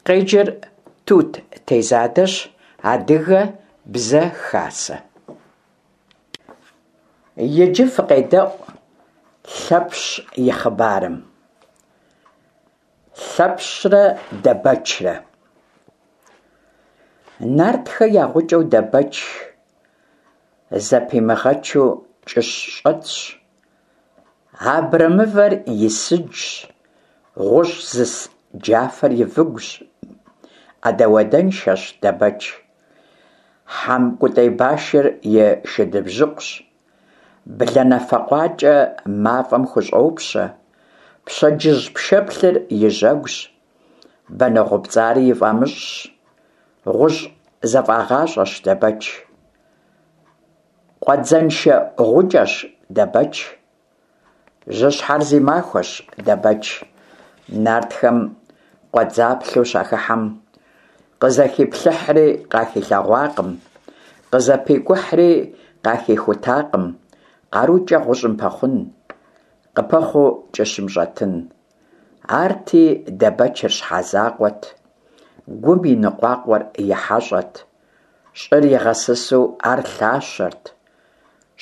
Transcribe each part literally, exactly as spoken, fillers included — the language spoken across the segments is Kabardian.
Къеджэр Тут Тезадэщ. Адыгэ Бзэ Хасэ. Иджы фыкъедэӀу Лъэпщ и хъыбарым. Лъэпщрэ Дэбэчрэ. Нартхэ я гъукӀэу Дэбэч зэпимыгъэчу кӀыщ щӀэтщ, абрэмывэр и сыджщ, гъущӀ зыс джафэр и выгущ. Ӏэдэ-уэдэншэщ Дэбэч, хьэмкӀутӀей башыр и шыдыбжьыкъущ, бланэфэ къуакӀэ мафӀэм хущӀопщэ, пщэдджыжь пшэплъыр и жьэгущ, банэ гъупцӀари и фӀамыщӀщ. ГъущӀ зэфӀагъащӀэщ Дэбэч. Къуэдзэншэ гъукӀэщ Дэбэч. Жьыщхьэр зи махуэщ Дэбэч. Нартхэм къуэдзаплъэу щахыхьэм, къызэхиплъыхьри къахилъэгъуакъым, къызэпикӀухьри къахихутакъым къарукӀэ гъущӀым пэхъун, къыпэхъуу кӀыщым щӀэтын. Арти Дэбэчыр щхьэ закъуэт, гум и ныкъуакъуэр и хьэщӀэт, щӀыр игъэсысу ар лъащэрт,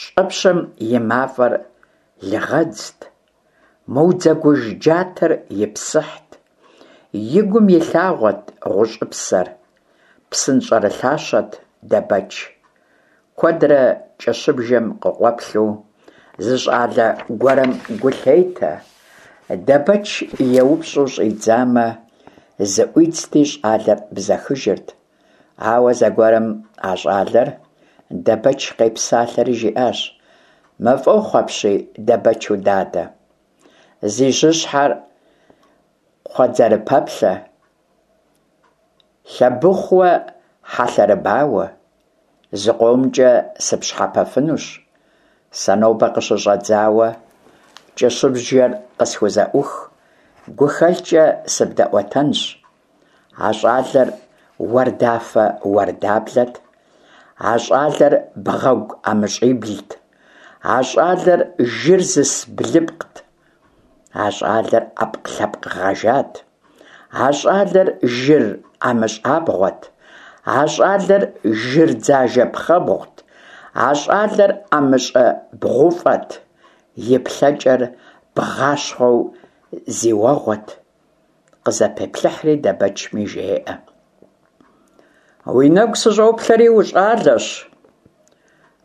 щӀэпщым и мафӀэр лыгъэдзт, мыудзэгуж джатэр и псыхьт, и гум и лъагъуэт гъущӀыпсэр, псынщӀэрылъащэт Дэбэч. Куэдрэ кӀыщыбжэм къыкъуэплъу зы щӀалэ гуэрым гу лъетэ. Дэбэч еупщӀу щӀидзамэ, зыӀуидзти щӀалэр бзэхыжырт. Ауэ зэгуэрым а щӀалэр Дэбэч къепсалъэри жиӀащ: «МафӀэхъу апщий, Дэбэчу дадэ! Зи жьыщхьэр кхъуэдзэрыпэплъэ, Лъэбыхъууэ хьэлъэрыбауэ! ЗыкъомкӀэ сыпщхьэпэфынущ. Сэ нобэ къыщыщӀэдзауэ кӀыщыбжэр къысхузэӀух, гухэлъкӀэ сыбдэӀуэтэнщ». А щӀалэр уардафэ-уардаблэт, а щӀалэр бгъэгу ӀэмыщӀиблт, а щӀалэр жыр зыс блыпкът, а щӀалэр Ӏэпкълъэпкъ гъэжат, а щӀалэр жыр ӀэмыщӀабгъуэт, а щӀалэр жыр дзажэ пхъэбгъут, а щӀалэр ӀэмыщӀэ бгъуфӀэт, и плъэкӀэр бгъащхъуэу зи уэгъуэт. Къызэпеплъыхьри Дэбэчми жеӀэ: «Уи нэгу сыщӀоплъэри ущӀалэщ,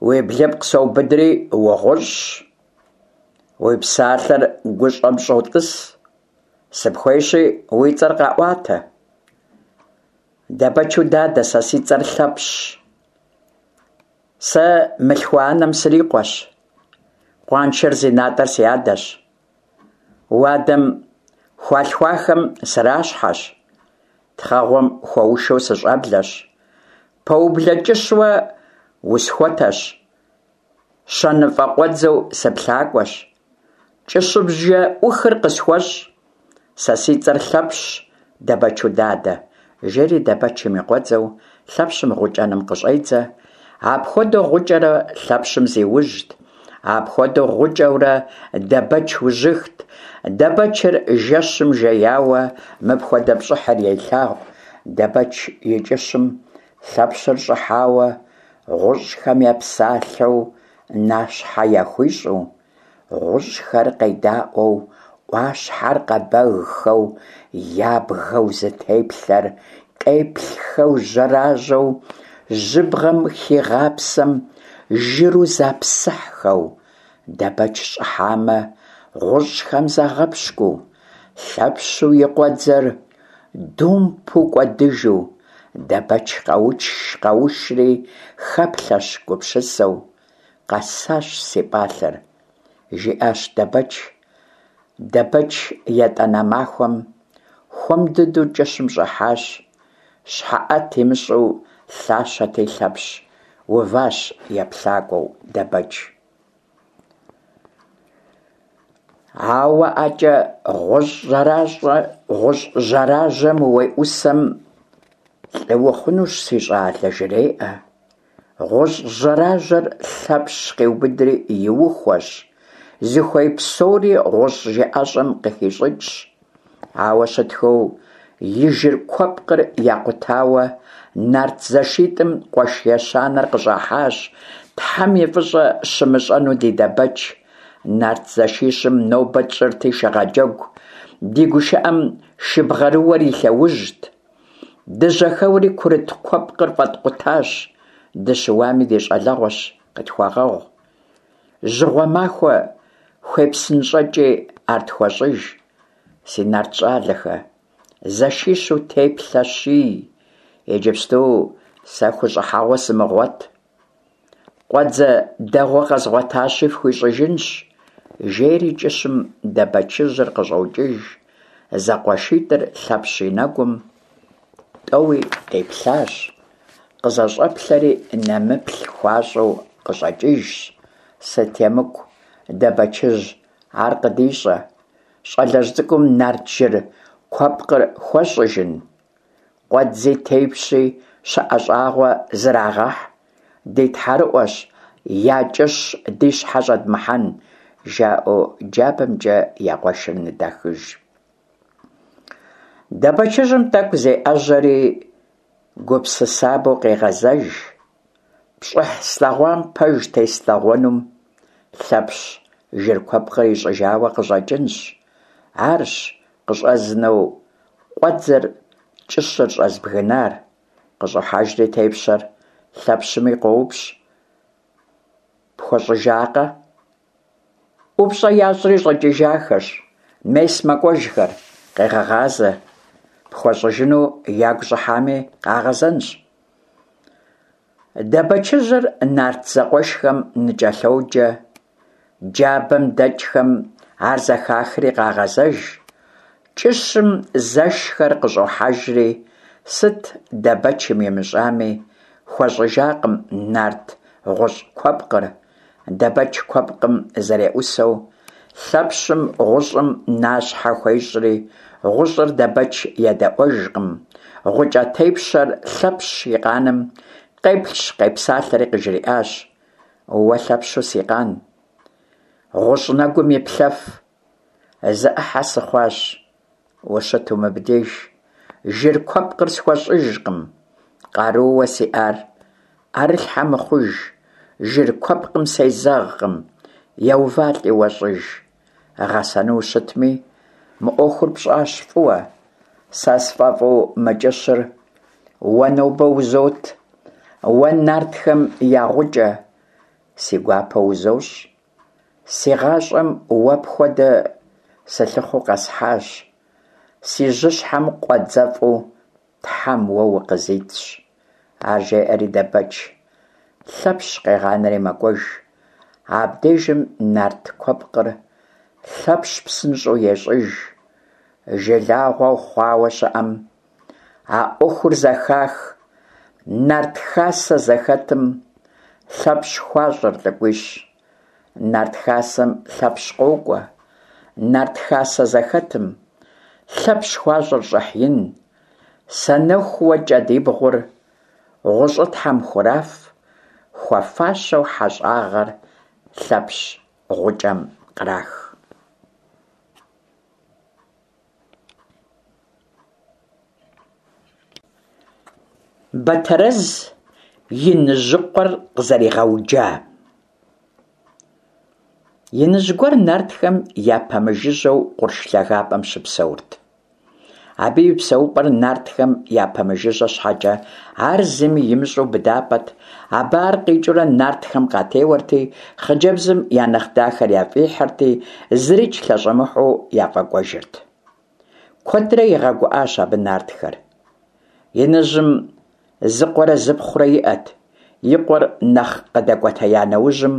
уи блыпкъ соубыдри угъущӀщ, уи псалъэр гущӀэм щӀотӀыс, сыпхуейщи, уи цӀэр къэӀуатэ». Дэбэчу дадэ, сэ си цӀэр Лъэпщщ. Сэ мылъхуэ анэм срикъуэщ. Къуаншэр зи натӀэр си адэщ. Уадэм хуалъхуахэм сращхьэщ. Тхъэгъуэм хуэушэу сыщӀэблэщ. Пэублэ кӀыщуэ усхуэтэщ. ЩэныфӀэ къуэдзэу сыплъакӀуэщ. КӀыщыбжэ Ӏухыр къысхуэщӀ. Сэ си цӀэр Лъэпщщ, Дэбэчу дадэ, жери Дэбэчым и къуэдзэу Лъэпщым гъукӀэным къыщӀедзэ. Апхуэдэу гъукӀэурэ Лъэпщым зиужьт. Апхуэдэу гъукӀэурэ Дэбэч ужьыхт. Дэбэчыр жэщым жеяуэ мыпхуэдэ пщӀыхьыр елъагъу: Дэбэч и кӀыщым Лъэпщыр щӀыхьауэ, гъущӀхэм епсалъэу нащхьэ яхуищӀу, гъущӀхэр къедаӀуэу, Ӏуащхьэр къэбэгхэу, ябгэу зытеплъэр къеплъхэу жьэражьэу, жьыбгъэм хигъапсэм жыру запсыхьхэу, Дэбэч щӀыхьамэ, гъущӀхэм загъэпщкӀуу, Лъэпщу и къуэдзэр думпу кӀуэдыжу. Дэбэч къэушри хэплъэщ гупсысэу: «Къэсащ си пӀалъэр», – жиӀащ Дэбэч. Дэбэч етӀанэ махуэм хуэм дыдэу кӀыщым щӀыхьащ. ЩхьэӀэт имыщӀу лъащэти Лъэпщ уващ еплъакӀуэу Дэбэч. Ауэ ӀэкӀэ гъущӀ жьэражьэм уеӀусэм, лӀы ухъунущ, си щӀалэ, жреӀэ. ГъущӀ жьэражьэр Лъэпщ къиубыдри иухуэщ, зыхуей псори гъущӀ жыӀэщӀэм къыхищӀыкӀщ, ауэ щытхэу и жыр куэпкъыр якъутауэ, нарт зэшитӀым къуэш ещанэр къыщӀахьащ. Тхьэм и фӀыщӀэ щымыщӀэну ди Дэбэч! Нарт зэшищым нобэ тщӀырти шыгъэджэгу, ди гушыӀэм шыбгъэрыуэр и лъэужьт. Дыжьэхэуэри курыт куэпкъыр фӀэткъутащ. Дыщыуами, ди щӀалэгъуэщ, къытхуэгъэгъу. Жьыгъуэ махуэ хуепсынщӀэкӀи ар тхуэщӀыж. Си нарт щӀалэхэ, зэшищу теплъэ щий, иджыпсту сэ хущӀыхьэгъуэ сымыгъуэт. Къуэдзэ дэгъуэ къэзгъуэтащи фхуищӀыжынщ, жери кӀыщым Дэбэчыжьыр къыщӀокӀыж. ЗэкъуэшитӀыр Лъэпщ и нэгум тӀэуи къиплъащ, къызэщӀэплъэри нэмыплъ хуащӀу къыщӀэкӀыжщ. Сыт емыкӀу, Дэбэчыжь ар къыдищӀэ, щӀалэжь цӀыкӀум нарт жыр куэпкъыр хуэщӀыжын? Къуэдзи тепщи щыӀэ щӀагъуэ зрагъэхь, ди тхьэрыӀуэщ, я кӀыщ ди щхьэ щӀэдмыхьэн, жаӀэу джабэмкӀэ я къуэшыр ныдахыж. Дэбэчыжьым тӀэкӀу зеӀэжьэри гупсысабэу къегъэзэж: «ПщӀыхь слъэгъуам пэж теслъэгъуэнум, Лъэпщ жыр куэпкъыр ищӀыжауэ къыщӀэкӀынщ, арщ къыщӀэзнэу къуэдзэр кӀыщыр щӀэзбгынар». КъыщӀохьэжри тепщэр Лъэпщми къоупщӀ: «ПхуэщӀыжакъэ?» ӀупщӀэ ящӀри щӀэкӀыжахэщ, мес мэкӀуэжхэр, къегъэгъазэ, пхуэщӀыжыну ягу щӀыхьами, къагъэзэнщ. Дэбэчыжьыр нарт зэкъуэшхэм ныкӀэлъоджэ. Джабэм дэкӀхэм ар зэхахри къагъэзэж. КӀыщым зэшхэр къыщӀохьэжри, сыт Дэбэчым имыщӀами, хуэщӀыжакъым нарт гъущӀ куэпкъыр. Дэбэч куэпкъым зэреӀусэу, Лъэпщым гъущӀым нащхьэ хуещӀри, гъущӀыр Дэбэч едэӀуэжкъым. ГъукӀэ тепщэр Лъэпщ и къаным къеплъщ-къепсалъэри къыжриӀащ: «Уэ Лъэпщу си къан, гъущӀ нэгум иплъэф, зэӀыхьэ сыхъуащ, ущыту мыбдеж, жыр куэпкъыр схуэщӀыжкъым, къарууэ сиӀар Ӏэрылъхьэ мыхъуж, жыр куэпкъым сезэгъкъым, еувалӀи уэ щӀыж. Гъэсэну ущытми, мы Ӏуэхур пщӀащ фӀыуэ, сэ сфӀэфӀу мы кӀыщыр уэ нобэ узот, уэ нартхэм я гъукӀэ, си гуапэу узощӀ. Си гъащӀэм уэ пхуэдэ сылъыхъуэу къэсхьащ, си жьыщхьэм къуэдзэфӀу Тхьэм уэ укъызитщ». Ар жеӀэри Дэбэч Лъэпщ къегъанэри мэкӀуэж. Абдежым нарт куэпкъыр Лъэпщ псынщӀэу ещӀыж. Жылагъуэу хъуауэ щыӀэм а Ӏуэхур зэхах. Нарт хасэ зэхэтым Лъэпщ хуащӀыр лӀыкӀуищ. Нарт хасэм Лъэпщ къокӀуэ. Нарт хасэ зэхэтым Лъэпщ хуащӀыр щӀыхь ин. Санэхууэ кӀэдибгъур гъущӀытхьэм хураф, хуэфащэу хьэщӀагъэр Лъэпщ гъукӀэм кърах. Бэтэрэз иныжьыкъуэр къызэригъэуджа. Иныжь гуэр нартхэм япэмыжыжьэу къурш лъагапӀэм щыпсэурт. Абы и псэупӀэр нартхэм япэмыжыжьэ щхьэкӀэ, ар зыми имыщӀэу быдапӀэт. Абы ар къикӀыурэ нартхэм къатеуэрти, хъыджэбзым я нэхъ дахэр яфӀихьырти, зырикӀ лъэщӀэмыхьэу яфӀэкӀуэжырт. Куэдрэ игъэгуӀащ абы нартхэр. Иныжьым зы къуэрэ зыпхъурэ иӀэт. И къуэр нэхъ къыдэкӀуэтея нэужьым,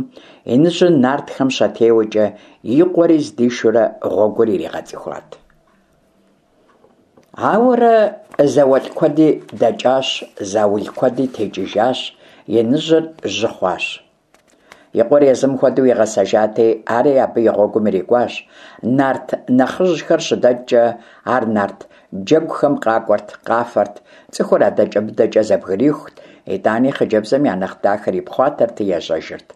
иныжьыр нартхэм щатеуэкӀэ, и къуэри здишурэ гъуэгур иригъэцӀыхуат. Ауэрэ зауэлӀ куэди дэкӀащ, заул куэди текӀыжащ, иныжьыр жьы хъуащ. И къуэр езым хуэдэу игъэсэжати, ари абы и гъуэгум ирикӀуащ. Нарт нэхъыжьхэр щыдэкӀкӀэ, ар нарт джэгухэм къакӀуэрт, къафэрт, цӀыхур адэкӀэ-мыдэкӀэ зэбгрихут, итӀани хъыджэбзым я нэхъ дахэр ипхъуатэрти ежьэжырт.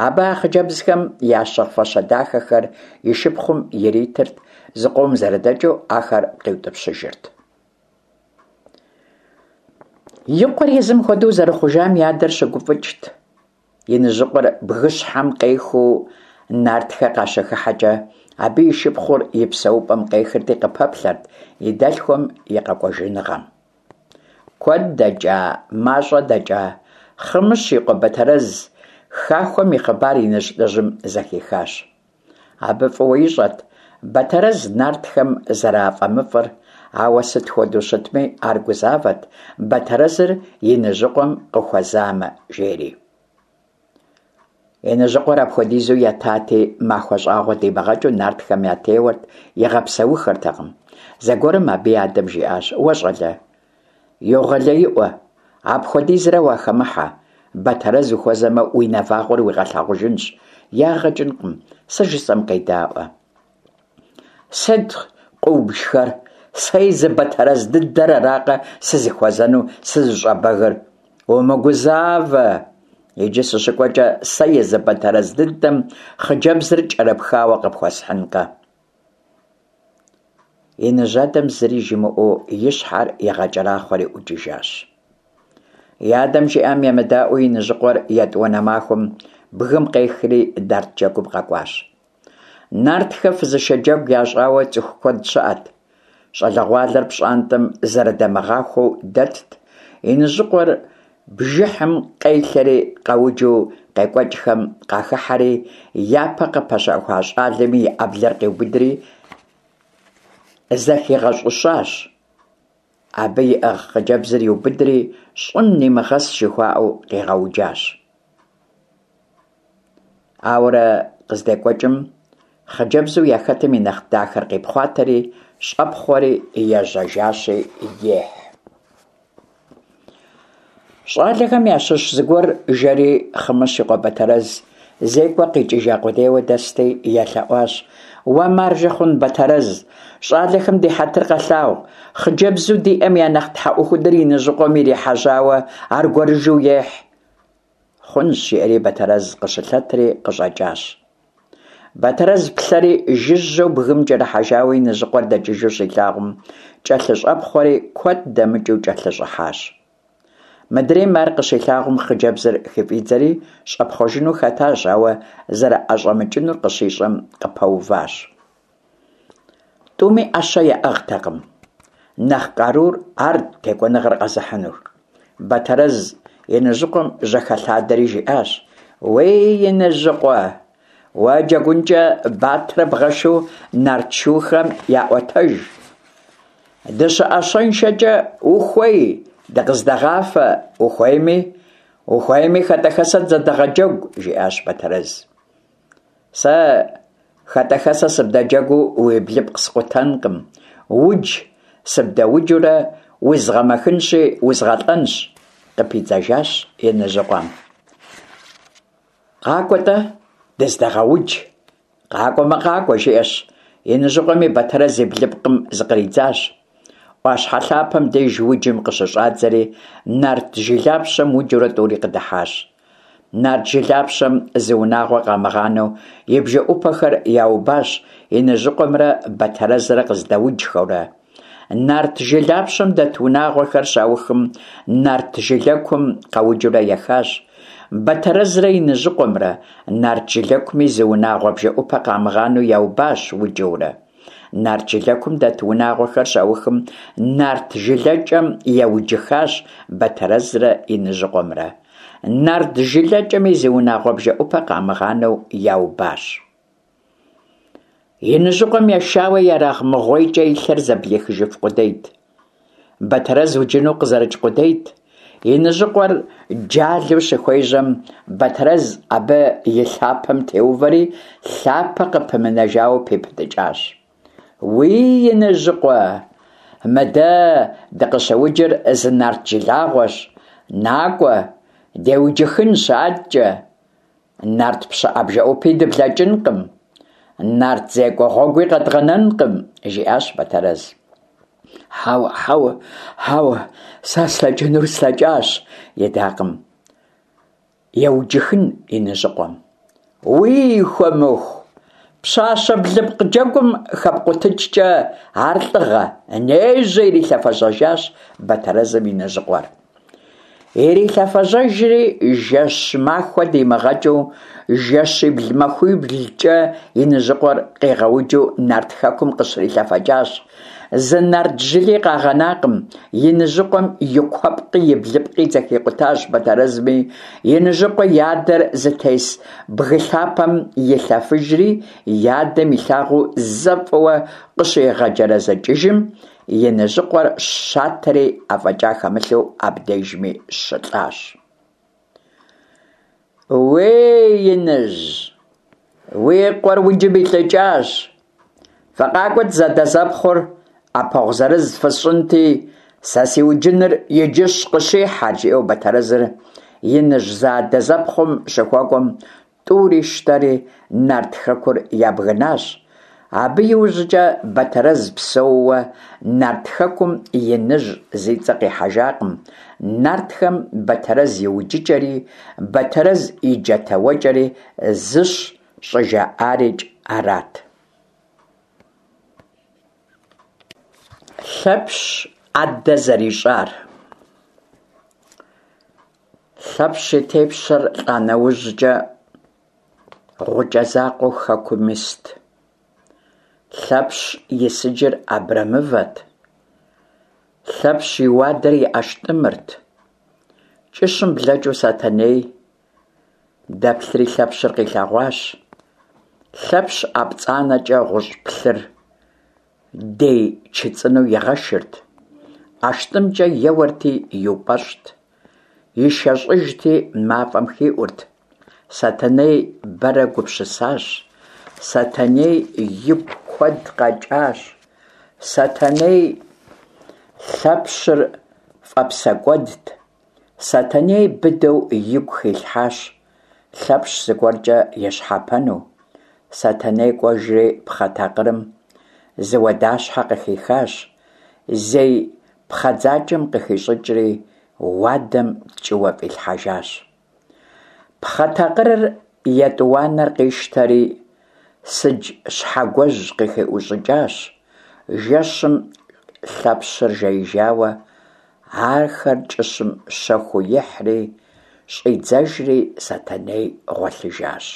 Абы а хъыджэбзхэм ящыгъ фащэ дахэхэр и шыпхъум иритырт, зыкъом зэрыдэкӀыу ахэр къиутӀыпщыжырт. И къуэр езым хуэдэу зэрыхъужам и адэр щыгуфӏыкӏт. Иныжьыкъуэр бгыщхьэм къехыу нартхэ къащыхыхьэкӏэ, абы и шыпхъур и псэупӏэм къехырти къыпэплъэрт и дэлъхум и къэкӏуэжыныгъэм. Куэд дэкӏа, мащӏэ дэкӏа, Хъымыщ и къуэ Бэтэрэз хахуэм и хъыбар иныжь лӏыжьым зэхихащ. Абы фӏыуэ ищӏэрт Бэтэрэз нартхэм зэрафӏэмыфӏыр, ауэ сыт хуэдэу щытми, ар гузавэрт Бэтэрэзыр иныжьыкъуэм къыхуэзамэ, жери. Иныжьыкъуэр апхуэдизу етати, махуэ щӏагъуэ димыгъэкӏыу нартхэм ятеуэрт, игъэпсэуххэртэкъым. Зэгуэрым абы и адэм жиӏащ: «Уэ, щӏалэ, йогъэлеиӏуэ, апхуэдизрэ уахэмыхьэ, Бэтэрэз ухуэзэмэ, уи нэвагъуэр уигъэлъагъужынщ, ягъэ кӏынкъым, сэ жысӏэм къедаӏуэ». «Сыт къыубжхэр? Сэ езы Бэтэрэз дыдэр аракъэ сызыхуэзэну сызыщӏэбэгыр? Умыгузавэ, иджы сыщыкӏуэкӏэ сэ езы Бэтэрэз дыдэм хъыджэбзыр кӏэрыпхауэ къыпхуэсхьынкъэ». Иныжь адэм зыри жимыӏэу и щхьэр игъэкӏэрахъуэри ӏукӏыжащ. И адэм жиӏам емыдаӏуэу иныжьыкъуэр етӏуанэ махуэм бгым къехри нарт джэгум къэкӏуащ. Нартхэ фызышэ джэгу ящӏауэ цӏыху куэд щыӏэт. Щӏалэгъуалэр пщӏантӏэм зэрыдэмыгъахуэу дэтт. Иныжьыкъуэр бжыхьым къелъэри къэуджу къекӏуэкӏхэм къахыхьэри, япэ къыпэщӏэхуа щӏалэми и ӏэблэр къиубыдри зэхигъэщӏыщащ. Абы иӏыгъ хъыджэбзыр иубыдри, щӏым нимыгъэс жыхуаӏэу къигъэуджащ. Ауэрэ къыздекӏуэкӏым, хъыджэбзу яхэтым и нэхъ дахэр къипхъуатэри, щӏэпхъуэри ежьэжащи ехь. Щӏалэхэм ящыщ зыгуэр жэри Хъымыщ и къуэ Бэтэрэз зекӏуэ къикӏыжа къудейуэ дэсти, елъэӏуащ: «Уэ маржэ хъун, Бэтэрэз, щӏалэхэм ди хьэтыр къэлъагъу, хъыджэбзу диӏэм я нэхъ тхьэӏухудыр иныжьыкъуэм ирихьэжьауэ аргуэрыжьу ехь». «Хъунщ», – жиӏэри Бэтэрэз къыщылъэтри къыщӏэкӏащ. Бэтэрэз плъэри жыжьэу бгым кӏэрыхьэжауэ иныжьыкъуэр дэкӏыжу щилъагъум, кӏэлъыщӏэпхъуэри куэд дэмыкӏыу кӏэлъыщӏыхьащ. Мыдрейм ар къыщилъагъум, хъыджэбзыр хыфӏидзэри щӏэпхъуэжыну хэтащ, ауэ зэрыӏэщӏэмыкӏынур къыщищӏэм къыпэуващ. Тӏуми ӏэщэ яӏыгътэкъым. Нэхъ къарур арт текӏуэныгъэр къэзыхьынур. Бэтэрэз иныжьыкъуэм жьэхэлъадэри жиӏащ: «Уей, иныжьыкъуэ, уэ джэгункӏэ батэрэ бгъэшу нарт шухэм яӏуэтэж. ДыщыӀэщэншэкӏэ ухуей, дыкъыздэгъафэ, ухуейми, ухуейми хэтӏэхэсэ дызэдэгъэджэгу», – жиӏащ Бэтэрэз. «Сэ хэтӏэхэсэ сыбдэджэгуу уи блыпкъ скъутэнкъым, удж сыбдэуджурэ узгъэмэхынщи узгъэлӏэнщ», – къыпидзэжащ иныжьыкъуэм. «Къакӏуэ-тӏэ, дыздэгъэудж». «Къакӏуэмэ, къакӏуэ», – жиӏэщ иныжьыкъуэми Бэтэрэз и блыпкъым зыкъридзащ. Ӏуащхьэ лъапэм деж уджым къыщыщӏадзэри, нарт жылапщэм уджурэ тӏури къыдыхьащ. Нарт жылапщэм зы унагъуэ къамыгъанэу и бжэӏупэхэр яубащ иныжьыкъуэмрэ Бэтэрэзрэ къыздэуджхэурэ. Нарт жылапщэм дэт унагъуэхэр щаухым, нарт жылэкум къэуджурэ ехащ. Бэтэрэзрэ иныжьыкъуэмрэ нарт жылэкуми зы унагъуэ бжэӏупэ къамыгъанэу яубащ уджэурэ. Нарт жылэкум дэт унагъуэхэр щаухым, нарт жылэкӏэм еуджыхащ Бэтэрэзрэ иныжьыкъуэмрэ. Нарт жылэкӏэми зы унагъуэ бжэӏупэ къамыгъанэу яубащ. Иныжьыкъуэм ешауэ ерагъмыгъуейкӏэ и лъэр зэблихыжыф къудейт. Бэтэрэз уджыну къызэрыкӏ къудейт. Иныжьыкъуэр джалэу щыхуежьэм, Бэтэрэз абы и лъапэм теувэри, лъапэ къыпымынэжауэ пипытӏыкӏащ. «Уий, иныжьыкъуэ, мы дэ дыкъыщыуджыр зы нарт жылагъуэщ, накӏуэ, деуджыхынщ аткӏэ. Нарт пщыӏэ бжэӏупи дыблэкӏынкъым, нарт зекӏуэ гъуэгуи къэдгъэнэнкъым», – жиӏащ Бэтэрэз. «Хьэуэ, хьэуэ, хьэуэ, сэ слъэкӏынур слъэкӏащ», – идакъым еуджыхын иныжьыкъуэм. «Уий, хуэмыху, пщащэ блыпкъ джэгум хэпкъутыкӏкӏэ ар лӏыгъэ, нежьэ», – ирилъэфэжьэжащ Бэтэрэзым иныжьыкъуэр. Ирилъэфэжьэжри, жэщ-махуэ димыгъэкӏыу, жэщибл-махуиблкӏэ Иныжьыкъуэр къигъэуджу Нарт хэкум къыщрилъэфэкӏащ. Зы нарт жыли къагъэнакъым. Иныжьыкъуэм и куэпкъи и блыпкъи зэхикъутащ Бэтэрэзми, Иныжьыкъуэ и адэр зытес бгы лъапэм илъэфыжри, и адэм илъагъуу зэ фӏыуэ къыщигъэджэрэзэкӏыжым, Иныжьыкъуэр щатэри афӏэкӏа хэмылъу абдежми щылӏащ. Уей, Иныжь, уи къуэр уджым илӏыкӏащ. Фыкъакӏуэт зэадэзэпхъур, ӏэпэгъу зырыз фысщӏынти, сэ си уджыныр иджыщ къыщихьэр, жиӏэу Бэтэрэзыр иныжь зэадэзэпхъум щыхуэкӏуэм, тӏури щтэри Нарт хэкур ябгынащ. Абы иужькӏэ Бэтэрэз псэууэ Нарт хэкум иныжь зи цӏэ къихьэжакъым. Нартхэм Бэтэрэз и уджыкӏэри, Бэтэрэз и джатэуэкӏэри зыщ щӏыжаӏарикӏ арат. Лъэпщ ӏэдэ зэрищӏар. Лъэпщ и тепщэр лӏа нэужькӏэ, гъукӏэ закъуэу хэкум ист. Лъэпщ и сыджыр абрэмывэт. Лъэпщ и уадэр и ӏэштӏымырт. Кӏыщым блэкӏыу Сэтэней дэплъри Лъэпщыр къилъэгъуащ. Лъэпщ ӏэ пцӏанэкӏэ гъущӏ плъыр дей чыцӏынэу игъэшырт, ӏэштӏымкӏэ еуэрти иупӏэщӏт, ишэщӏыжти мафӏэм хиӏурт. Сэтэней бэрэ гупсысащ. Сэтэней игу куэд къэкӏащ. Сэтэней Лъэпщыр фӏэпсэкӏуэдт. Сэтэней быдэу игу хилъхьащ Лъэпщ зыгуэркӏэ ещхьэпэну. Сэтэней кӏуэжри пхъэ такъырым зы уадащхьэ къыхихащ, зей пхъэдзакӏэм къыхищӏыкӏри уадэм ткӏыуэ фӏилъхьэжащ. Пхъэ такъырыр етӏуанэр къищтэри сыдж щхьэгуэжь къыхиӏущӏыкӏащ. Жэщым Лъэпщыр жеижауэ, ахэр кӏыщым щэхуу ихьри щӏидзэжри Сэтэней гъуэлъыжащ.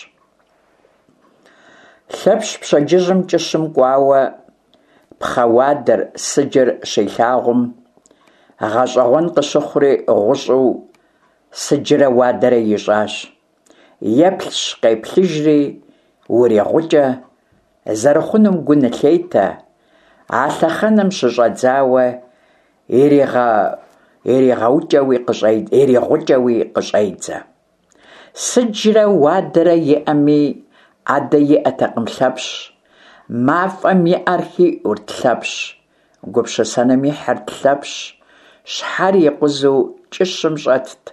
Лъэпщ пщэдджыжьым кӏыщым кӏуауэ пхъэ уадэр, сыджыр щилъагъум, гъэщӏэгъуэн къыщыхъури гъущӏу сыджрэ уадэрэ ищӏащ. Еплъщ-къеплъыжри, уригъукӏэ зэрыхъунум гу нылъетэ, а лъэхъэнэм щыщӏэдзауэ иригъукӏэуи къыщӏедзэ. Сыджрэ уадэрэ иӏэми, ӏэдэ иӏэтэкъым Лъэпщ. Мафӏэм и ӏэр хиӏурт Лъэпщ, гупсысэным ихьырт Лъэпщ, щхьэр икъузу кӏыщым щӏэтт,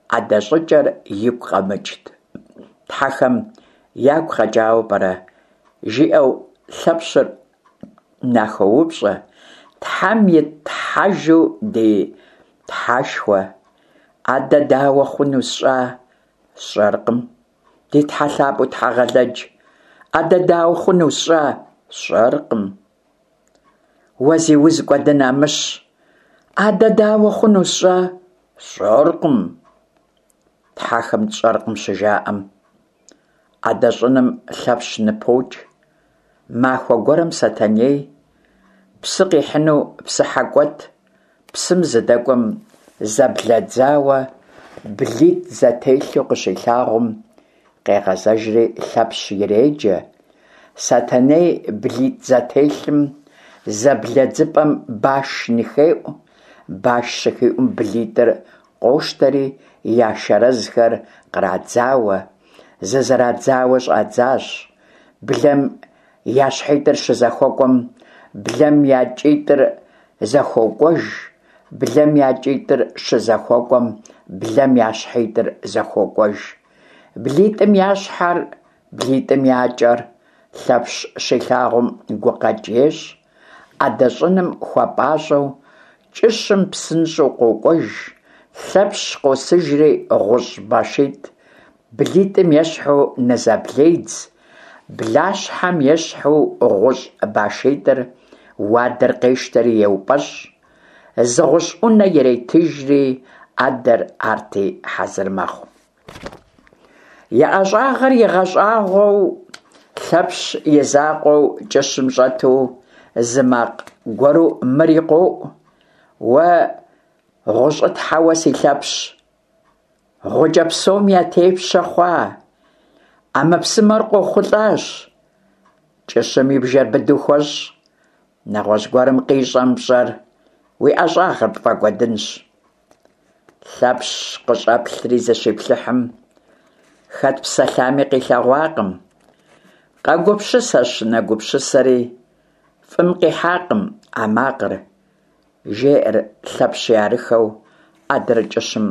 ӏэдэ щӏыкӏэр игу къэмыкӏт. Тхьэхэм ягу къэкӏауэ пӏэрэ, жиӏэу Лъэпщыр нахоупщӏэ: Тхьэм и тхьэжу ди тхьэшхуэ, ӏэдэ дауэ хъуну сщӏа? Сщӏэркъым. Ди тхьэ лъапӏэу Тхьэгъэлэдж, ӏэдэ дауэ хъуну сщӏа? Сщӏэркъым. Уэ зи уз кӏуэдын Амыщ, ӏэдэ дауэ хъуну сщӏа? Сщӏэркъым. Тхьэхэм тщӏэркъым щыжаӏэм, ӏэдэ щӏыным Лъэпщ ныпокӏ. Махуэ гуэрым Сэтэней псы къихьыну псыхьэ кӏуэт, псым зыдэкӏуэм зэблэдзауэ блитӏ зэтелъу къыщилъагъум, къегъэзэжри Лъэпщ иреджэ. Сэтэней блитӏ зэтелъым зэблэдзыпӏэм баш ныхеӏу, баш щыхиӏум блитӏыр къощтэри я шэрэзхэр кърадзауэ, зызэрадзауэ щӏадзащ. Блэм я щхьитӏыр щызэхуэкӏуэм, блэм я кӏитӏыр зэхуокӏуэж, блэм я кӏитӏыр щызэхуэкӏуэм, блэм я щхьитӏыр зэхуокӏуэж. Блитӏым я щхьэр, блитӏым я кӏэр Лъэпщ щилъагъум гукъэкӏ ещӏ, ӏэдэ щӏыным хуэпӏащӏэу кӏыщым псынщӏэу къокӏуэж. Лъэпщ къосыжри гъущӏ башитӏ блитӏым ещхьу нызэбледз, блащхьэм ещхьу гъущӏ башитӏыр уадэр къещтэри еупӏэщӏ. Зы гъущӏ ӏунэ иретыжри, ӏэдэр арти хьэзыр мэхъу. И ӏэщӏагъэр игъэщӏагъуэу, Лъэпщ и закъуэу кӏыщым щӏэту, зы макъ гуэру мыри къоӏу: «Уэ гъущӏытхьэуэ си Лъэпщ, гъукӏэ псом я тепщэ хъуа, ӏэмэпсымэр къохъулӏащ, кӏыщым и бжэр быдэу хуэщӏ, нэгъуэщӏ гуэрым къищӏэм пщӏэр, уи ӏэщӏагъэр пфӏэкӏуэдынщ». Лъэпщ къыщӏэплъри зыщиплъыхьым, хэт псэлъами къилъэгъуакъым. Къэгупсысэщ, нэгупсысэри, фӏым къихьакъым а макъыр, жеӏэр Лъэпщи арыххэу ӏэдэр кӏыщым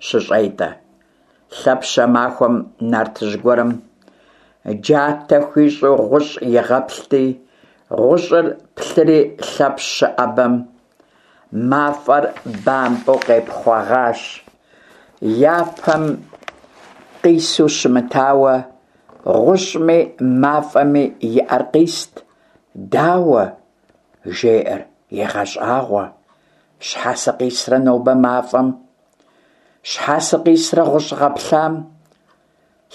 щыщӏетӏэ. Лъэпщ а махуэм нартыжь гуэрым джатэ хуищӏу гъущӏ игъэплъти, гъущӏыр плъыри Лъэпщ щыӏэбэм, мафӏэр бампӏэу къепхъуэгъащ. Япэм къису щымытауэ, гъущӏми мафӏэми и ӏэр къист. «Дауэ?» – жеӏэр, егъэщӏагъуэ. «Щхьэ сыкъисрэ нобэ мафӏэм? Щхьэ сыкъисрэ гъущӏ гъэплъам?»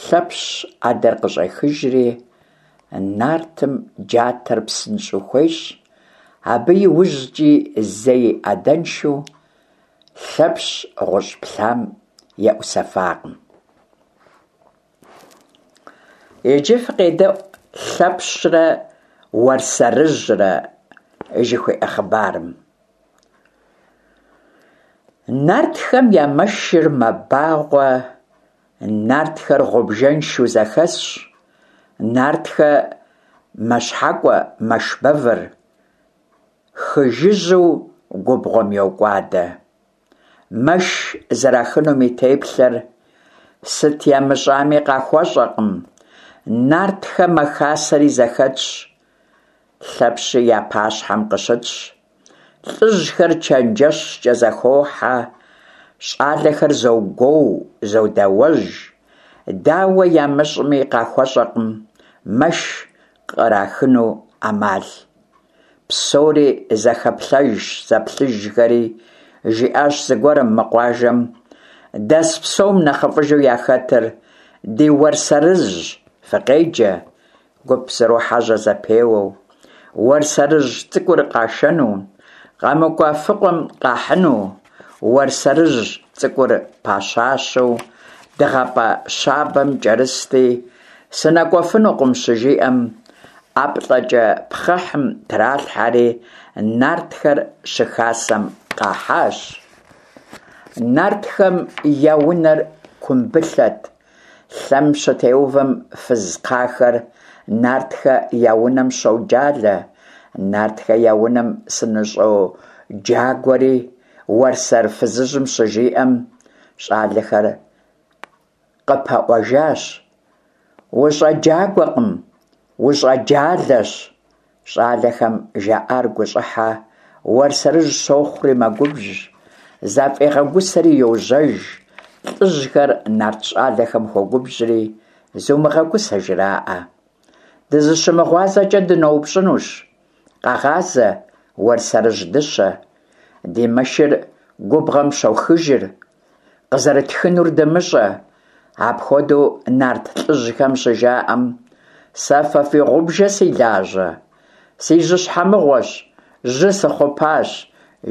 Лъэпщ ӏэдэр къыщӏехыжри, нартым джатэр псынщӏэу хуещӏ. Абы иужькӏи зэи ӏэдэншэу Лъэпщ гъущӏ плъам еӏусэфакъым. Иджы фыкъедэӏу Лъэпщрэ Уэрсэрыжьрэ жыхуиӏэ хъыбарым. Нартхэм я мэшыр мэбагъуэ, нартхэр гъубжэншэу зэхэсщ, нартхэр мэщхьэкӏуэ мэш бэвыр, хы жыжьэу губгъуэм йокӏуадэ. Мэш зэрахынум и теплъэр, сыт ямыщӏами къахуэщӏэкъым. Нартхэ мэхасэри зэхэтщ, Лъэпщи я пащхьэм къыщытщ. Лӏыжьхэр чэнджэщкӏэ зэхохьэ, щӏалэхэр зогуоу, зодэуэж. Дауэ ямыщӏми къахуэщӏэкъым мэш кърахыну ӏэмал. Псори зэхэплъэжщ-зэплъыжхэри, жиӏащ зыгуэрым: «Мы къуажэм дэс псом нэхъыфӏыжу яхэтыр ди Уэрсэрыжьщ, фыкъеджэ». Гуп зэрохьэжьэ зэпеуэу, Уэрсэрыжь цӏыкӏур къашэну, къэмыкӏуэфыкъуэм къахьыну. Уэрсэрыжь цӏыкӏур пэщащэу дыгъэпӏэ щабэм кӏэрысти, сынэкӏуэфынукъым щыжиӏэм, ӏэплӏэкӏэ пхъэхьым тралъхьэри, нартхэр щыхасэм къахьащ. Нартхэм я унэр кумбылъэт. Лъэм щытеувэм фыз кхъахэр нартхэ я унэм щоджалэ: «Нартхэ я унэм сыныщоджагуэри», Уэрсэр фызыжьым щыжиӏэм, щӏалэхэр къыпэӏуэжащ: «УщӀэджагуэкъым, ущӀэджалэщ». Щӏалэхэм жаӏар гущӏыхьэ Уэрсэрыжь щохъури мэгубжь, зафӏегъэгусэри йожьэж. Лӏыжьхэр нарт щӏалэхэм хуогубжьри, зумыгъэгусэ жраӏэ. Дызыщымыгъуазэкӏэ дыноупщӏынущ, къэгъазэ, Уэрсэрыжь дыщэ, ди мэшыр губгъуэм щохыжыр, къызэрытхынур дымыщӏэ. Апхуэдэу нарт лӏыжьхэм щыжаӏэм, сэ фэ фи гъубжэ си лажьэ? Си жьыщхьэ мыгъуэщ, жьы сыхъупащ,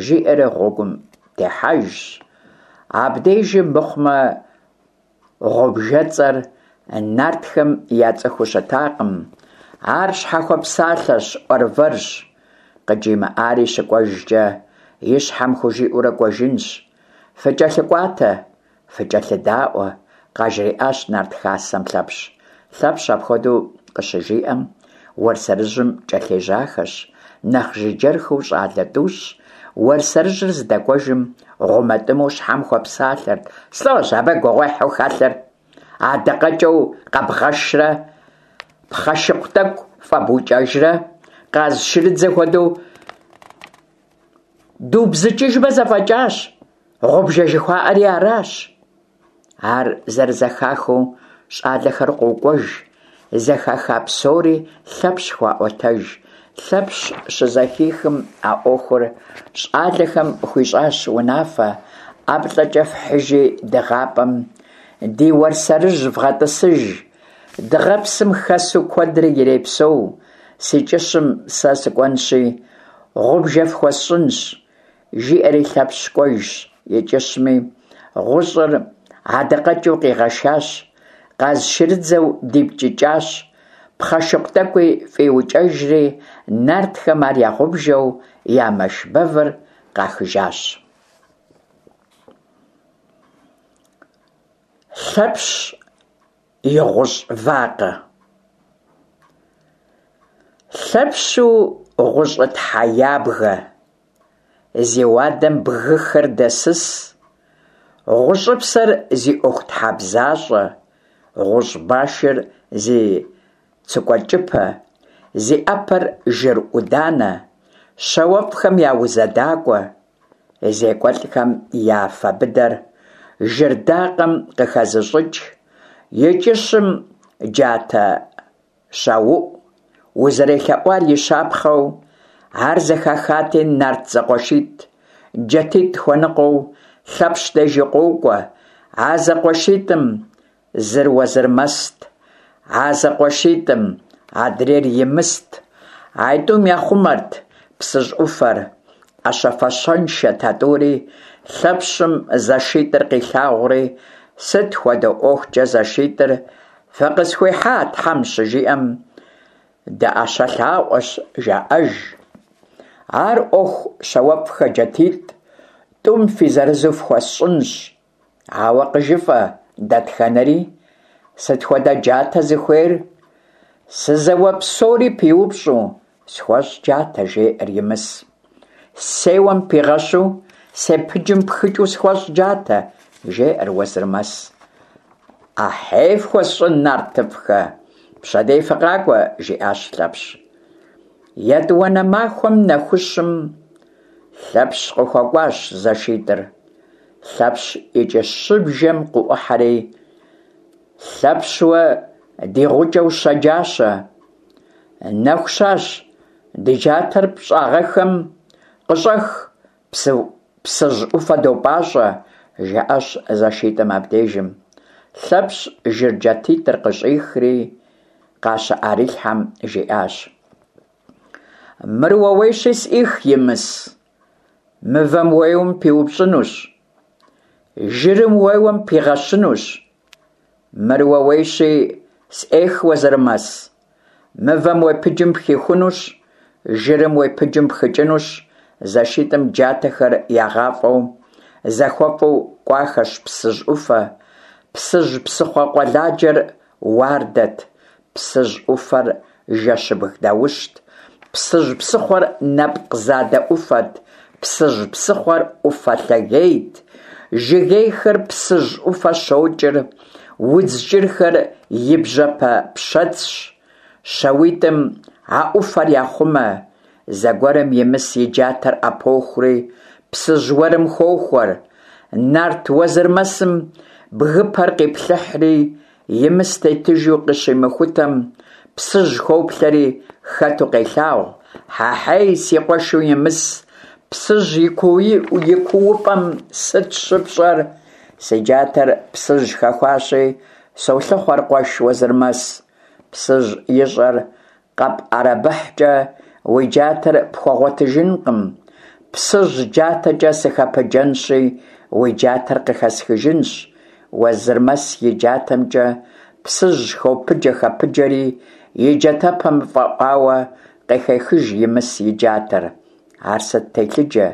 жиӏэри гъуэгум техьэжщ. Абдежым мыхъумэ, гъубжэцӏэр нартхэм яцӏыхуу щытакъым. Ар щхьэхуэпсалъэщ, ӏуэрвэрщ. Къыджимыӏари щыкӏуэжкӏэ и щхьэм хужиӏэурэ кӏуэжынщ. ФыкӀэлъыкӏуатэ, фыкӀэлъыдаӏуэ, къажриӏащ нарт хасэм Лъэпщ. Лъэпщ апхуэдэу къыщыжиӏэм, Уэрсэрыжьым кӏэлъежьахэщ нэхъ жыджэрхэу щӏалэ тӏущ. Уэрсэрыжьыр здэкӏуэжым гъумэтӏымэу щхьэм хуэпсалъэрт: «Слӏожь, абы гугъуехьу хэлъыр? Адакъэкӏэу къэбгъэшрэ, пхъэшыкъу тӏэкӏу фӏэбукӏэжрэ, къаз шырыдзэ хуэдэу дубзыкӏыжмэ зэфӏэкӏащ, гъубжэ жыхуаӏэри аращ». Ар зэрызэхахыу щӏалэхэр къокӏуэж, зэхаха псори Лъэпщ хуаӏуэтэж. Лъэпщ щызэхихым а ӏуэхур, щӏалэхэм хуищӏащ унафэ: ӀэплӀэкӀэ фхьыжи дыгъапӀэм ди Уэрсэрыжь вгъэтӀысыж, дыгъэпсым хэсу куэдрэ ирепсэу, си кӀыщым сэ сыкӀуэнщи гъубжэ фхуэсщӀынщ, – жиӀэри Лъэпщ кӀуэжщ и кӀыщми, гъущӀыр адакъэкӀыу къигъэшащ, къазшырыдзэу дипкӀыкӀащ, пхъэшыкъу тӀэкӀуи фӀиукӀэжри, нартхэм ар я гъубжэу я мэш бэвыр къахыжащ. Лъэпщ и гъущӀ вакъэ. Лъэпщу гъущӀытхьэ ябгэ, зи уадэм бгыхэр дэсыс, гъущӀыпсэр зи ӀуэхутхьэбзащӀэ, гъущӀ башыр зи цыкӀуэкӀыпэ, зи Ӏэпэр жыр Ӏуданэ, щауэфӀхэм я узэдакӀуэ, зекӀуэлӀхэм я афэ быдэр жыр дакъэм къыхэзыщӀыкӀ, и кӀыщым джатэ щауӀу, узэрелъэӀуар и щапхъэу, ар зэхахати, нарт зэкъуэшитӀ, джатитӀ хуэныкъуэу, Лъэпщ деж къокӀуэ. А зэкъуэшитӀым зыр Уэзырмэст, а зэкъуэшитӀым адрейр Имыст. АитӀум яхъумэрт Псыжь Ӏуфэр. Ӏэщэ-фащэншэт а тӀури. Лъэпщым зэшитӀыр къилъагъури: «Сыт хуэдэ ӀуэхукӀэ зэшитӀыр фыкъысхуихьа Тхьэм?» – щыжиӀэм, «ДыӀэщэ лъаӀуэщ», – жаӀэж. «Ар Ӏуэху, щауэфӀхэ, джатитӀ тӀум фи зырызу фхуэсщӀынщ, ауэ къыжыфӀэ дэтхэнэри? Сыт хуэдэ джатэ зыхуейр?» «Сызэуэ псори пиупщӀу схуэщӀ джатэ», – жеӀэр Имыс. «Сеуэм пигъэщу, сепыджым пхыкӀыу схуэщӀ джатэ», – жеӀэр Уэзырмэс. «Ахьей фхуэсщӀын, нартыфӀхэ, пщэдей фыкъакӀуэ», – жиӀащ Лъэпщ. ЕтӀуанэ махуэм нэхущым Лъэпщ къыхуэкӀуащ зэшитӀыр. Лъэпщ и кӀыщыбжэм къыӀухьэри: «Лъэпщ уэ ди гъукӀэу щэджащэ, нэху щащ, ди джатэр пщӀагъэххэм къыщӀэх, Псыжь Ӏуфэ допӀащӀэ», – жаӀащ зэшитӀым абдежым. Лъэпщ жыр джатитӀыр къыщӀихри къащыӀэрилъхьэм, жиӀащ: «Мыр ууейщи, сӀых, Имыс, мывэм уеуэм пиупщӀынущ, жырым уеуэм пигъэщынущ. Мыр ууейщи, сӀех, Уэзырмэс, мывэм уепыджым пхихунущ, жырым уепыджым пхыкӀынущ». ЗэшитӀым джатэхэр ягъафӀэу, зэхуэфӀу кӀуахэщ Псыжь Ӏуфэ. Псыжь псыхъуэ къуэладжэр уардэт, Псыжь Ӏуфэр жэщыбг даущт, Псыжь псыхъуэр нэпкъ задэ Ӏуфэт, Псыжь псыхъуэр Ӏуфэ лъагейт, жыгейхэр Псыжь Ӏуфэ щокӀыр, удз кӀырхэр и бжьэпэ пщэцщ. ЩауитӀым а Ӏуфэр яхъумэ. Зэгуэрым Имыс и джатэр Ӏэпохури Псыжь уэрым хохуэр. Нарт Уэзырмэсым бгыпэр къиплъыхьри, Имыс тетыжу къыщимыхутэм, Псыжь хоплъэри хэту къелъагъу. «Хьэхьей, си къуэшу Имыс, Псыжь и куупӀэм сыт щыпщӀэр?» «Си джатэр Псыжь хэхуащи, солъыхъуэр, къуэш Уэзырмэс». «Псыжь и щӀэр къэпӀэрэбыхькӀэ уи джатэр пхуэгъуэтыжынкъым. Псыжь джатэкӀэ сыхэпыджэнщи, уи джатэр къыхэсхыжынщ». Уэзырмэс и джатэмкӀэ Псыжь хопыджэ-хэпыджэри, и джатэпэм фӀэӀуауэ къыхехыж Имыс и джатэр. Ар сыт телъыджэ,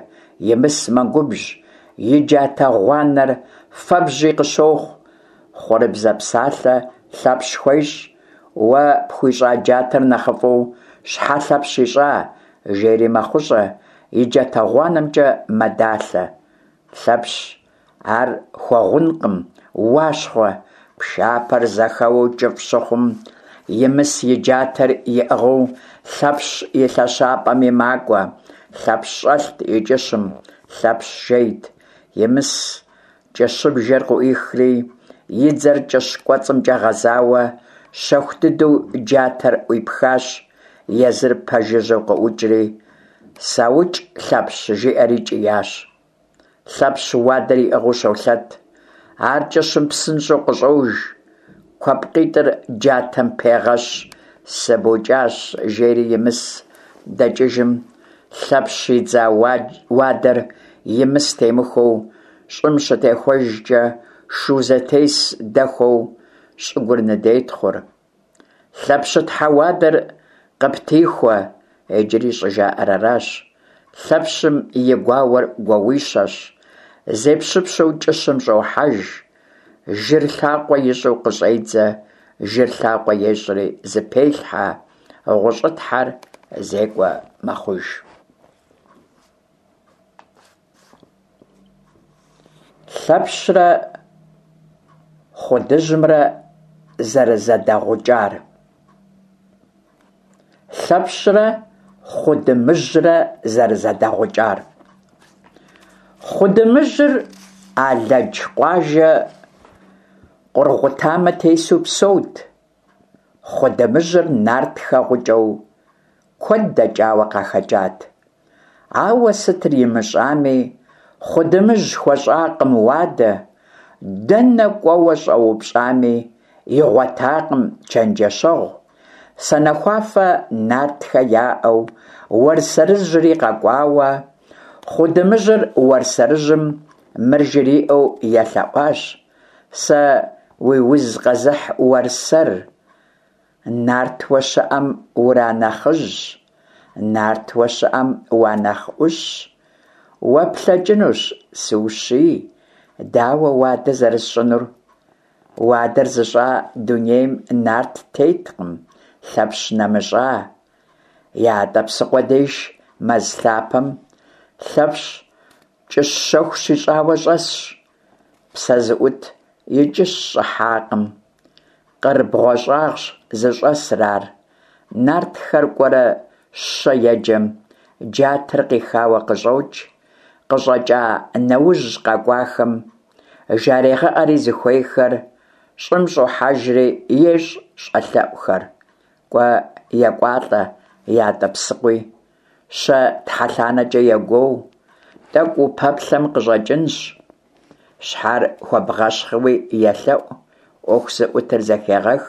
Имыс мэгубжь, и джатэ гъуанэр фэбжьи къыщохъу. Хъурыбзэ псалъэ Лъэпщ хуещӀ: «Уэ пхуищӀа джатэр нэхъыфӀу щхьэ Лъэпщ ищӀа?» – жери мэхъущӀэ, и джатэ гъуанэмкӀэ мэдалъэ. Лъэпщ ар хуэгъункъым: «Уащхъуэ!» Пшапэр зэхэуэу кӀыфӀ щыхъум, Имыс и джатэр иӀыгъыу Лъэпщ и лъэщапӀэми макӀуэ. Лъэпщ щӀэлът и кӀыщым, Лъэпщ жейт. Имыс кӀыщыбжэр къыӀуихри, и дзэр кӀыщ кӀуэцӀымкӀэ гъэзауэ, щэху дыдэу джатэр Ӏуипхащ, езыр пэжыжьэу къыӀукӀри: «СаукӀ, Лъэпщ!» – жиӀэри кӀиящ. Лъэпщ уадэр иӏыгъыу щолъэт. Ар кӏыщым псынщӏэу къыщӏож, куэпкъитӏыр джатэм пегъэщ, сыбукӏащ, жери Имыс дэкӏыжым, Лъэпщ идза уадэр Имыс темыхуэу щӏым щытехуэжкӏэ, шу зэтес дэхуэу щӏыгур ныдетхъур. Лъэпщытхьэ уадэр къыптихуэ, иджыри щӏыжаӏэр аращ. Лъэпщым и гуауэр гуауищэщ. Зепщыпщу кӏыщым щӏохьэж, жыр лъакъуэ ищӏу къыщӏедзэ, жыр лъакъуэ ещӏри зыпелъхьэ, гъущӏытхьэр зекӏуэ мэхъуж. Лъэпщрэ Хъудыжьымрэ зэрызэдэгъукӏар. Лъэпщрэ Хъудымыжьрэ зэрызэдэгъукӏар. Хъудымыжьыр Алэдж къуажэ Къургъутамэ тесу псэут. Хъудымыжьыр нартхэ гъукӏэу куэд дэкӏауэ къахэкӏат. Ауэ сытыр имыщӏами, Хъудымыжь хуэщӏакъым уадэ, дэнэ кӏуэуэ щӏэупщӏами, игъуэтакъым чэнджэщэгъу. Санэхуафэ нартхэ яӏэу, Уэрсэрыжьри къэкӏуауэ, Хъудымыжьыр Уэрсэрыжьым мыр жриӏэу елъэӏуащ: Сэ уи уз къэзыхь Уэрсэр, нартуэ щыӏэм уранэхъыжьщ, нартуэ щыӏэм уанэхъ ӏущщ, уэ плъэкӏынущ сыущий, дауэ уадэ зэрысщӏынур? Уадэр зыщӏа дунейм нарт теткъым, Лъэпщ нэмыщӏа. Ятӏэпсыхъуэ деж мэз лъапэм Лъэпщ кӏыщ щэху щищӏауэ щӏэсщ. Псэ зыӏут и кӏыщ щӏыхьакъым. Къыр бгъуэщӏагъщ зыщӏэсыр ар. Нартхэр кӏуэрэ щэ еджэм, джатэр къихауэ къыщӏокӏ. Къыщӏэкӏа нэужь къэкӏуахэм жарегъэӏэри зыхуейхэр, щӏым щӏохьэжри ещӏ щӏэлъэӏухэр. Кӏуэ, екӏуалӏэ Ятӏэпсыхъуи, щэ тхьэлъанэкӏэ егуоу, тӏэкӏу упэплъэм, къыщӏэкӏынщ. Щхьэр хуэбгъэщхъыуи елъэӏу, ӏуэху зыӏутыр зэхегъэх.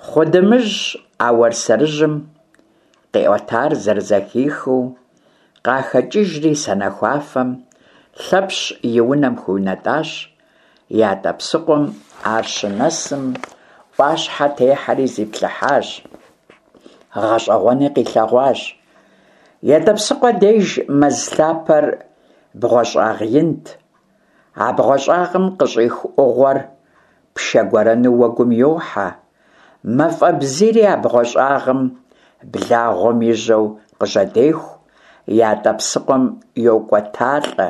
Хъудымыжь а Уэрсэрыжьым къиӏуэтар зэрызэхихыу, къахэкӏыжри санэхуафэм Лъэпщ и унэм хуиунэтӏащ. Ятӏэпсыхъуэм ар щынэсым, ӏуащхьэ техьэри зиплъыхьащ, гъэщӏэгъуэни къилъэгъуащ. Ятӏэпсыхъуэ деж мэз лъапэр бгъуэщӏагъ инт. А бгъуэщӏагъым къыщӏих ӏугъуэр пшэ гуэрэну уэгум йохьэ. Мафӏэ бзийри а бгъуэщӏагъым благъуэм и жьэу къыжьэдеху, Ятӏэпсыхъуэм йокӏуэталӏэ.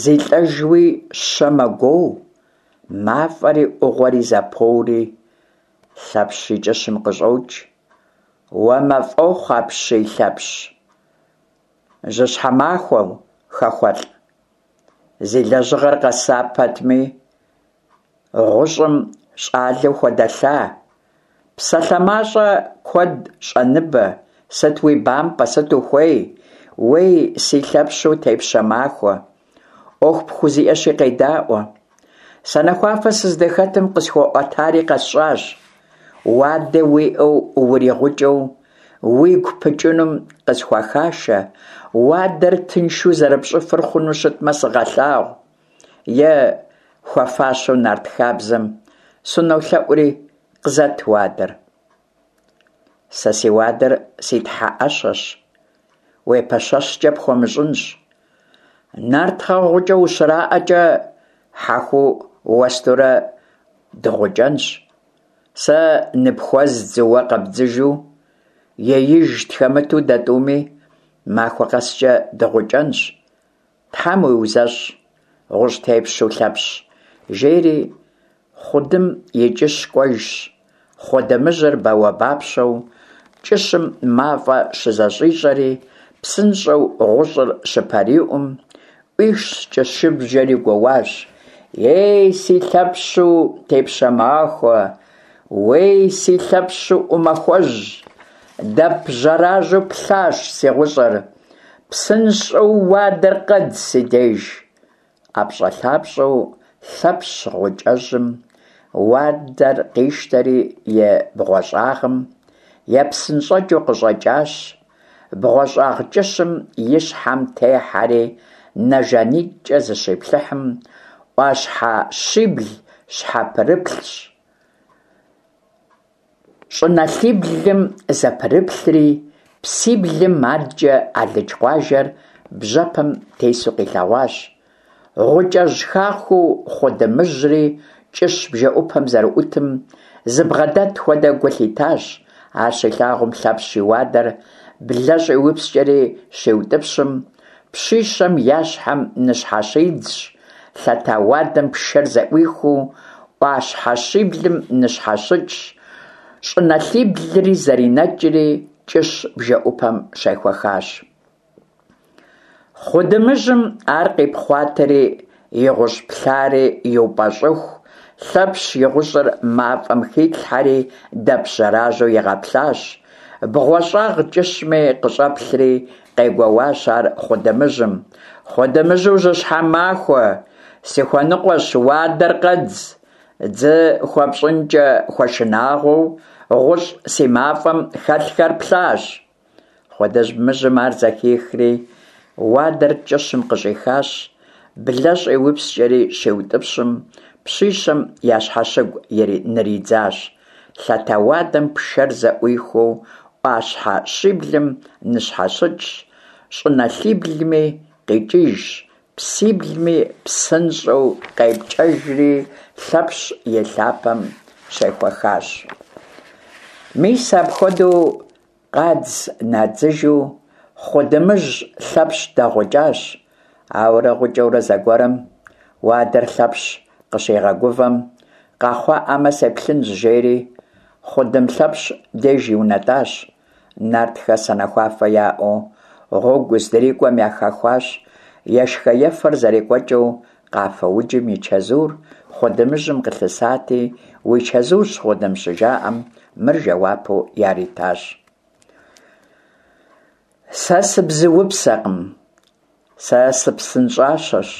Зилӏэжуи щэ мэгуоу, мафӏэри ӏугъуэри зэпоури, Лъэпщ и кӏыщым къыщӏокӏ. Уэ мафӏэхъу апщий, Лъэпщ! Жьыщхьэ махуэу, хэхуэлӏ! Зи лэжьыгъэр къэса пэтми, гъущӏым щӏалэу хуэдэлъа. Псалъэ мащӏэ куэд щӏэныбэ, сыт уи бампӏэ, сыт ухуей? Уей, си Лъэпщу тепщэ махуэ, ӏуэху пхузиӏэщи къедаӏуэ. Санэхуафэ сыздыхэтым къысхуэӏуэтари къэсщӏащ. Уадэ уиӏэу уригъукӏэу уигу пыкӏынум къысхуэхашэ, уадэр тыншу зэрыпщӏыфыр хъуну щытмэ сыгъэлъагъу. Е хуэфащэу нарт хабзэм сынолъэӏури, къызэт уадэр. Сэ си уадэр си тхьэ ӏэщэщ, уепэщэщкӏэ пхуэмыщӏынщ. Нартхэ гъукӏэ ущраӏэкӏэ, хьэхуу уэстурэ дыгъукӏэнщ. Сэ ныпхуэздзу, уэ къэбдзыжу, еиж тхэмыту дэ тӏуми махуэ къэскӏэ дыгъукӏэнщ. Тхьэм уиузэщӏ, гъущӏ тепщэу Лъэпщ, жери Хъудым и кӏыщ кӏуэжщ, Хъудымыжьыр бауэбапщэу кӏыщым мафӏэ щызэщӏищӏэри, псынщӏэу гъущӏыр щыпэриӏум, ӏуихщ кӏыщыбжэри гуоуащ: Ей, си Лъэпщу тепщэ махуэ! Уей, си Лъэпщу ӏумахуэжь! Дэп жьэражьэу плъащ си гъущӏыр, Псынщӏэу уадэр къэдз си деж! Ӏэпщӏэлъапщӏэу Лъэпщ гъукӏэжьым уадэр къищтэри и бгъуэщӏагъым епсынщӏэкӏыу къыщӏэкӏащ, бгъуэщӏагъ кӏыщым и щхьэм техьэри нэ жанитӏкӏэ зыщиплъыхьым, ӏуащхьэ щибл щхьэпрыплъщ, щӏыналъиблым зэпрыплъри, псиблым адкӏэ алыдж къуажэр бжьэпэм тесу къилъэгъуащ. Гъукӏэжь хахуэу Хъудымыжьри кӏыщ бжэӏупэм зэрыӏутым зыбгъэдэт хуэдэ гу лъитащ. Ар щилъагъум, Лъэпщ и уадэр блэ щӏиупскӏэри щиутӏыпщым, пщищэм я щхьэм ныщхьэщидзщ, лъэта уадэм пшэр зэӏуихыу, ӏуащхьэ щиблым ныщхьэщыкӏщ, щӏыналъиблри зэринэкӏри, кӏыщ бжэӏупэм щехуэхащ. Хъудымыжьым ар къипхъуатэри, и гъущӏ плъари иупӏэщӏыху, Лъэпщ и гъущӏыр мафӏэм хилъхьэри дэп жьэражьэу игъэплъащ. Бгъуэщӏагъ кӏыщми къыщӏэплъри, къегуэуащ ар Хъудымыжьым: «Хъудымыжьу жьыщхьэ махуэ, сыхуэныкъуэщ, уадэр къэдз! Дзы хуэпщӏынкӏэ хуэшынагъуэу, гъущӏ си мафӏэм хэлъхэр плъащ». Хъудымыжьым ар зэхихри, уадэр кӏыщым къыщӏихащ, блэ щӏиупскӏэри щиутӏыпщым, пщищэм я щхьэщыгу ныридзащ. Лъэта уадэм пшэр зэӏуихыу, ӏуащхьэ щиблым ныщхьэщыкӏщ, щӏыналъиблми къикӏыжщ, псиблми псынщӏэу къепкӏэжри, Лъэпщ и лъапэм щехуэхащ. Мис апхуэдэу къадз-надзыжу Хъудымыжь Лъэпщ дэгъукӏащ. Ауэрэ гъукӏэурэ зэгуэрым, уадэр Лъэпщ къыщигъэгувэм, къэхъуаӏамэ сеплъынщ, жери Хъудым Лъэпщ деж иунэтӏащ. Нартхэ санэхуафэ яӏэу гъуэгу здрикӏуэм яхэхуащ. Ешхэ-ефэр зэрекӏуэкӏыу, къафэ уджым и чэзур Хъудымыжьым къылъысати, «Уи чэзущ, Хъудым», щыжаӏэм, мыр жэуапу яритащ: «Сэ сыбзуупсэкъым, сэ сыпсынщӏащэщ,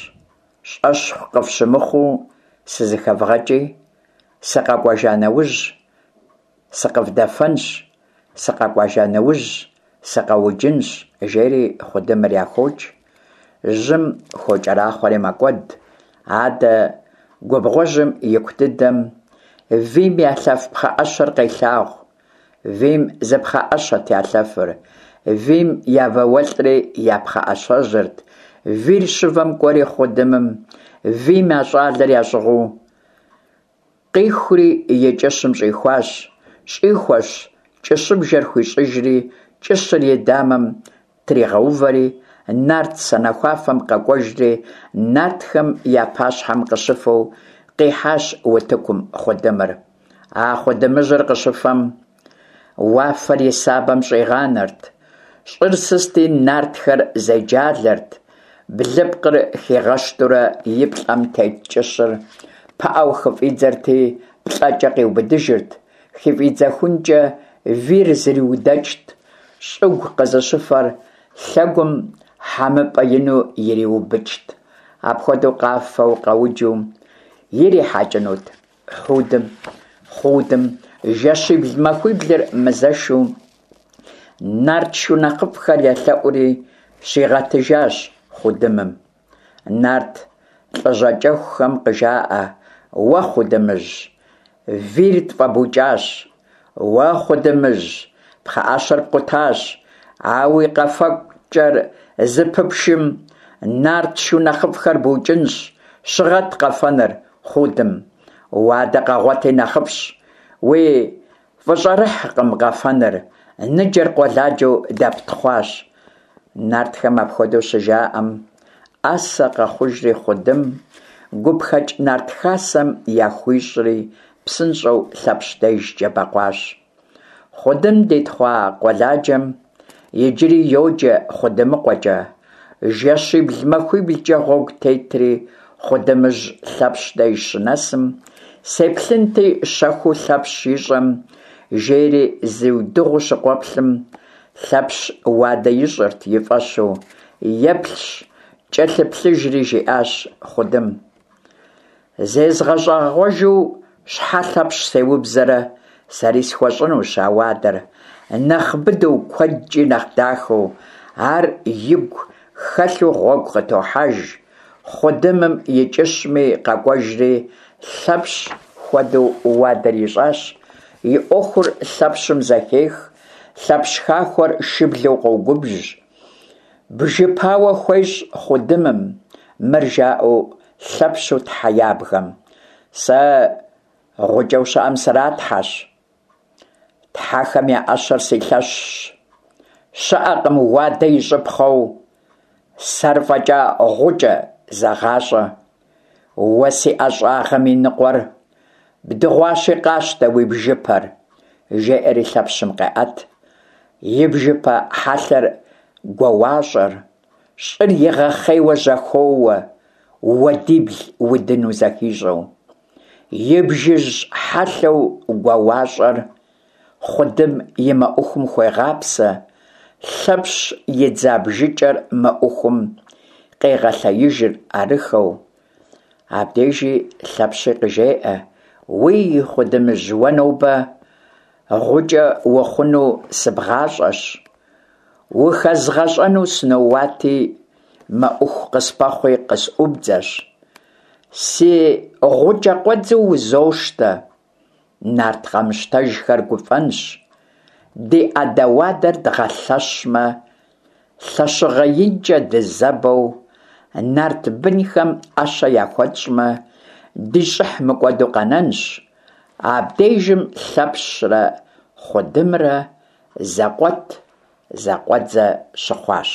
щӏэщхъу къыфщымыхъуу сызэхэвгъэкӏи, сыкъэкӏуэжа нэужь сыкъывдэфэнщ, сыкъэкӏуэжа нэужь сыкъэуджынщ», – жери Хъудымыр яхокӏ, жьым хокӏэрахъуэри мэкӏуэд. Адэ губгъуэжьым ику дыдэм вийм ялъэф пхъэӏэщэр къелъагъу. Вийм зы пхъэӏэщэт ялъэфыр, вийм я вауэлӏри я пхъэӏэщэжьырт. Вийр щывэм кӏуэри Хъудымым вийм я щӏалэр ящӏыгъуу къихури и кӏыщым щӏихуащ. Щӏихуэщ, кӏыщыбжэр хуищӏыжри, кӏыщыр и дамэм тригъэувэри, нарт санэхуафэм къэкӏуэжри, нартхэм я пащхьэм къыщыфэу къихьащ утыкум Хъудымыр. А Хъудымыжьыр къыщыфэм, уафэр и сабэм щӏигъанэрт, щӏыр сысти нартхэр зеджалэрт, блыпкъыр хигъэщтурэ и плӏэм тет кӏыщыр пыӏэу хыфӏидзэрти, плӏэкӏэ къиубыдыжырт, хыфӏидзэхункӏэ вийр зриудэкӏт, щӏыгу къызыщыфэр лъэгум хьэмыпӏэ ину ириубыкӏт. Апхуэдэу къафэу къэуджу ирихьэкӏынут Хъудым жэщибл-махуиблыр мызэшу, нарт шу нэхъыфӏхэр елъэӏури щигъэтыжащ Хъудымым. Нарт лӏыжьакӏэхухэм къыжаӏэ: «Уэ, Хъудымыжь, вийр тфӏэбукӏащ, уэ, Хъудымыжь, пхъэӏэщэр пкъутащ, а уи къэфэкӏэр зыпыпшым, нарт шу нэхъыфӏхэр букӏынщ, щыгъэт къэфэныр, Хъудым, уадэ къэгъуэти нэхъыфӏщ, уи фӏыщӏэрыхькъым къэфэныр, ныджэр къуэладжэу дэптхъуащ». Нартхэм апхуэдэу щыжаӏэм, ӏэсэ къэхъужри Хъудым гупхэкӏ нарт хасэм яхуищӏри, псынщӏэу Лъэпщ дежкӏэ бэкъуащ. Хъудым дитхъуа къуэладжэм иджыри йоджэ Хъудымыкъуэкӏэ. Жэщибл-махуиблкӏэ гъуэгу тетри, Хъудымыжь Лъэпщ деж щынэсым, «Сеплъынти щэхуу Лъэпщ ищӏэм», жери зиудыгъуу щыкъуэплъым, Лъэпщ уадэ ищӏырт и фӏэщу, еплъщ, кӏэлъыплъыжри, жиӏащ Хъудым: «Зезгъэщӏэгъуэжу щхьэ Лъэпщ сеубзэрэ, сэри схуэщӏынущ а уадэр, нэхъ быдэу, куэдкӏи нэхъ дахэу». Ар игу хэлъу гъуэгу къытохьэж. Хъудымым и кӏыщми къэкӏуэжри, Лъэпщ хуэдэу уадэр ищӏащ. И ӏуэхур Лъэпщым зэхех, Лъэпщ хахуэр шыблэу къогубжь. Бжыпауэ хуещӏ Хъудымым, мыр жаӏэу Лъэпщу тхьэ ябгэм: «Сэ гъукӏэу щыӏэм сратхьэщ, тхьэхэм я ӏэщэр си лъэщщ, щыӏэкъым уадэ ищӏыпхъэу сэр фӏэкӏа гъукӏэ, зэгъащӏэ. Уэ си ӏэщӏагъэм и ныкъуэр бдыгъуащи, къащтэ уи бжыпэр!» Жеӏэри Лъэпщым къеӏэт и бжыпэ хьэлъэр гуауащӏэр, щӏыр игъэхъейуэ жьэхоуэ, уадибл удыну зэхищӏэу. И бжыжь хьэлъэу гуауащӏэр Хъудым и мэӏухум хуегъапсэ, Лъэпщ идза бжыкӏэр мэӏухум къегъэлъеижыр арыххэу. Абдежи Лъэпщи къыжеӏэ: «Уий, Хъудымыжь, уэ нобэ гъукӏэ ухъуну сыбгъащӏэщ, ухэзгъэщӏэну сыноуати, мэӏуху къыспэхъуи къысӏубдзэщ. Си гъукӏэ къуэдзэу узощтэ, нарт къамыщтэжхэр гуфӏэнщ, ди ӏэдэ-уадэр дгъэлъэщмэ, лъэщыгъэ инкӏэ дызэбэу, нарт бынхэм ӏэщэ яхуэтщӏмэ, ди щӏыхь мыкӏуэду къэнэнщ». Абдежым Лъэпщрэ Хъудымрэ зэкъуэт-зэкъуэдзэ щыхъуащ.